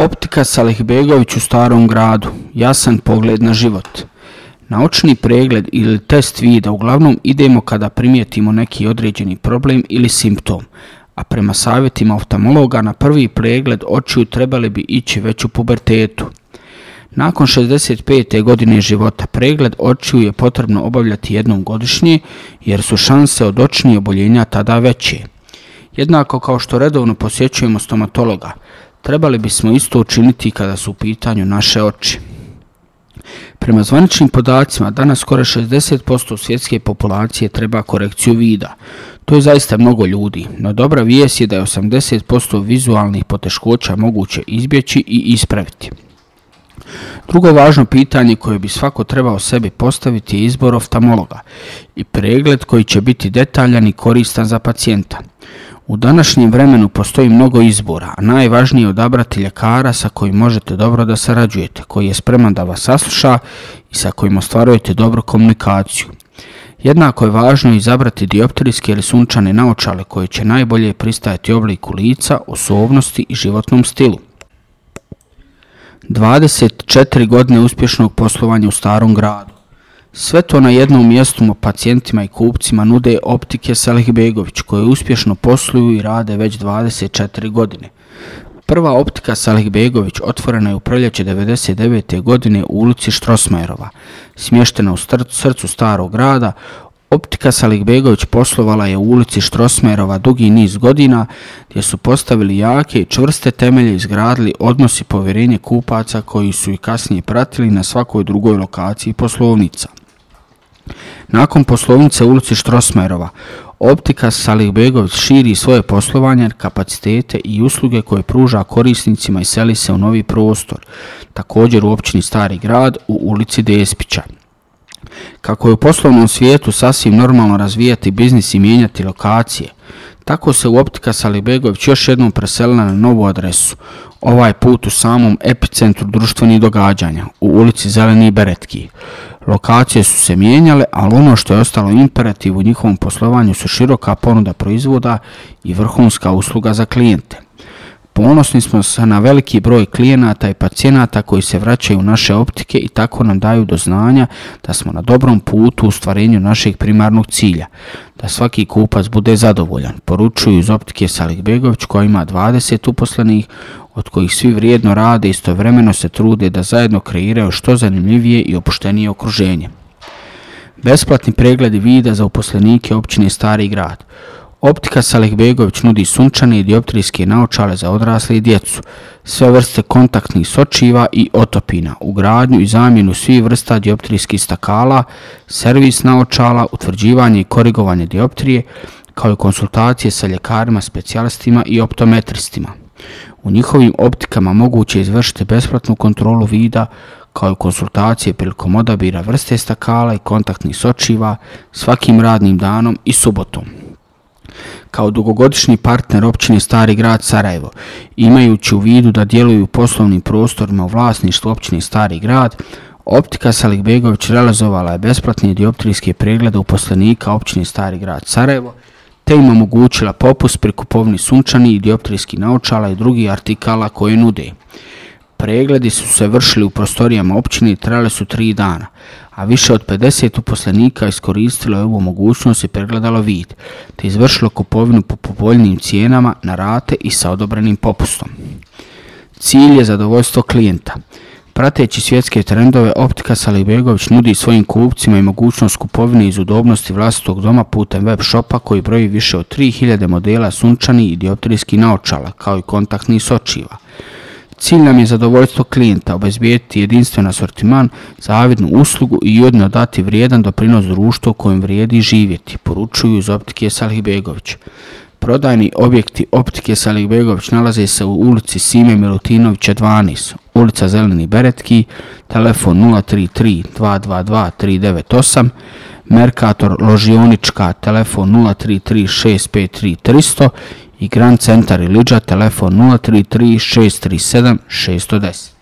Optika Salihbegović u Starom gradu. Jasan pogled na život. Na očni pregled ili test vida uglavnom idemo kada primijetimo neki određeni problem ili simptom, a prema savjetima oftalmologa na prvi pregled očiju trebali bi ići već u pubertetu. Nakon 65. godine života pregled očiju je potrebno obavljati jednom godišnje jer su šanse od očnih oboljenja tada veće. Jednako kao što redovno posjećujemo stomatologa, trebali bismo isto učiniti kada su u pitanju naše oči. Prema zvaničnim podacima, danas skoro 60% svjetske populacije treba korekciju vida. To je zaista mnogo ljudi, no dobra vijest je da je 80% vizualnih poteškoća moguće izbjeći i ispraviti. Drugo važno pitanje koje bi svako trebao sebi postaviti je izbor oftalmologa i pregled koji će biti detaljan i koristan za pacijenta. U današnjem vremenu postoji mnogo izbora, a najvažnije je odabrati ljekara sa kojim možete dobro da sarađujete, koji je spreman da vas sasluša i sa kojim ostvarujete dobru komunikaciju. Jednako je važno izabrati dioptrijske ili sunčane naočale koje će najbolje pristajati obliku lica, osobnosti i životnom stilu. 24 godine uspješnog poslovanja u Starom gradu. Sve to na jednom mjestu pacijentima i kupcima nude Optike Salihbegović koje uspješno posluju i rade već 24 godine. Prva Optika Salihbegović otvorena je u proljeće 1999. godine u ulici Štrosmajerova, smještena u srcu Starog grada. Optika Salihbegović poslovala je u ulici Štrosmajerova dugi niz godina gdje su postavili jake i čvrste temelje i izgradili odnos i povjerenje kupaca koji su i kasnije pratili na svakoj drugoj lokaciji poslovnica. Nakon poslovnice u ulici Štrosmajerova, Optika Salihbegović širi svoje poslovanje, kapacitete i usluge koje pruža korisnicima i seli se u novi prostor, također u općini Stari grad u ulici Despića. Kako je u poslovnom svijetu sasvim normalno razvijati biznis i mijenjati lokacije, tako se u Optika Salihbegović još jednom preselila na novu adresu, ovaj put u samom epicentru društvenih događanja, u ulici Zeleni Beretki. Lokacije su se mijenjale, ali ono što je ostalo imperativ u njihovom poslovanju su široka ponuda proizvoda i vrhunska usluga za klijente. Ponosni smo se na veliki broj klijenata i pacijenata koji se vraćaju u naše optike i tako nam daju do znanja da smo na dobrom putu u ostvarenju našeg primarnog cilja, da svaki kupac bude zadovoljan, poručuju iz Optike Salihbegović koja ima 20 uposlenih, od kojih svi vrijedno rade i istovremeno se trude da zajedno kreiraju što zanimljivije i opuštenije okruženje. Besplatni pregledi vida za uposlenike općine Stari grad. Optika Salihbegović nudi sunčane i dioptrijske naočale za odrasle i djecu, sve vrste kontaktnih sočiva i otopina, ugradnju i zamjenu svih vrsta dioptrijskih stakala, servis naočala, utvrđivanje i korigovanje dioptrije, kao i konsultacije sa ljekarima, specijalistima i optometristima. U njihovim optikama moguće je izvršiti besplatnu kontrolu vida, kao i konsultacije prilikom odabira vrste stakala i kontaktnih sočiva svakim radnim danom i subotom. Kao dugogodišnji partner općine Stari grad Sarajevo, imajući u vidu da djeluju u poslovnim prostorima u vlasništvu općine Stari grad, Optika Salihbegović realizovala je besplatne dioptrijske preglede uposlenika općine Stari grad Sarajevo, te im omogućila popust pri kupovini sunčanih i dioptrijskih naočala i drugih artikala koje nude. Pregledi su se vršili u prostorijama općine i trajali su 3 dana, a više od 50 uposlenika iskoristilo je ovu mogućnost i pregledalo vid, te izvršilo kupovinu po povoljnijim cijenama na rate i sa odobrenim popustom. Cilj je zadovoljstvo klijenta. Prateći svjetske trendove, Optika Salihbegović nudi svojim kupcima i mogućnost kupovine iz udobnosti vlastitog doma putem web shopa koji broji više od 3000 modela sunčanih i dioptrijskih naočala, kao i kontaktnih sočiva. Cilj nam je zadovoljstvo klijenta, obezbijeti jedinstven asortiman, zavidnu uslugu i ujedno dati vrijedan doprinos društvu u kojem vrijedi živjeti, poručuju iz Optike Salihbegović. Prodajni objekti Optike Salihbegović nalaze se u ulici Sime Milutinovića 12, ulica Zeleni Beretki, telefon 033 222 398, Mercator Ložionička, telefon 033 653 300 i Grand Centar Ilidža, telefon 033 637 610.